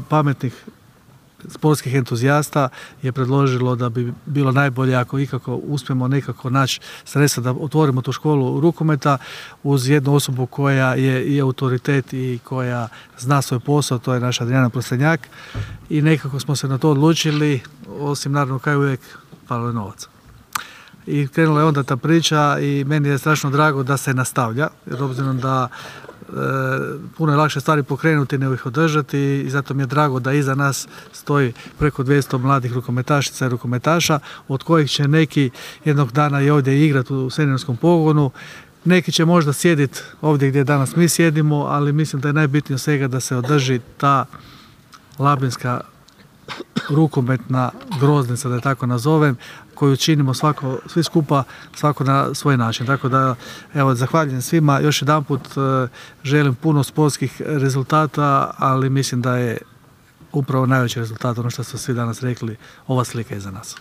pametnih sportskih entuzijasta je predložilo da bi bilo najbolje ako ikako uspijemo nekako naći sredstva da otvorimo tu školu rukometa uz jednu osobu koja je i autoritet i koja zna svoj posao, to je naša Adriana Prostenjak, i nekako smo se na to odlučili, osim naravno kao uvijek falo je novaca. I krenula je onda ta priča i meni je strašno drago da se nastavlja, jer obzirom da puno je lakše stvari pokrenuti nego ih održati i zato mi je drago da iza nas stoji preko 200 mladih rukometašica i rukometaša, od kojih će neki jednog dana i ovdje igrati u seniorskom pogonu. Neki će možda sjediti ovdje gdje danas mi sjedimo, ali mislim da je najbitnije svega da se održi ta labinska rukometna groznica, da je tako nazovem, koju činimo svi skupa, svako na svoj način. Tako da, evo, zahvaljujem svima. Još jedanput želim puno sportskih rezultata, ali mislim da je upravo najveći rezultat, ono što su svi danas rekli, ova slika iza nas.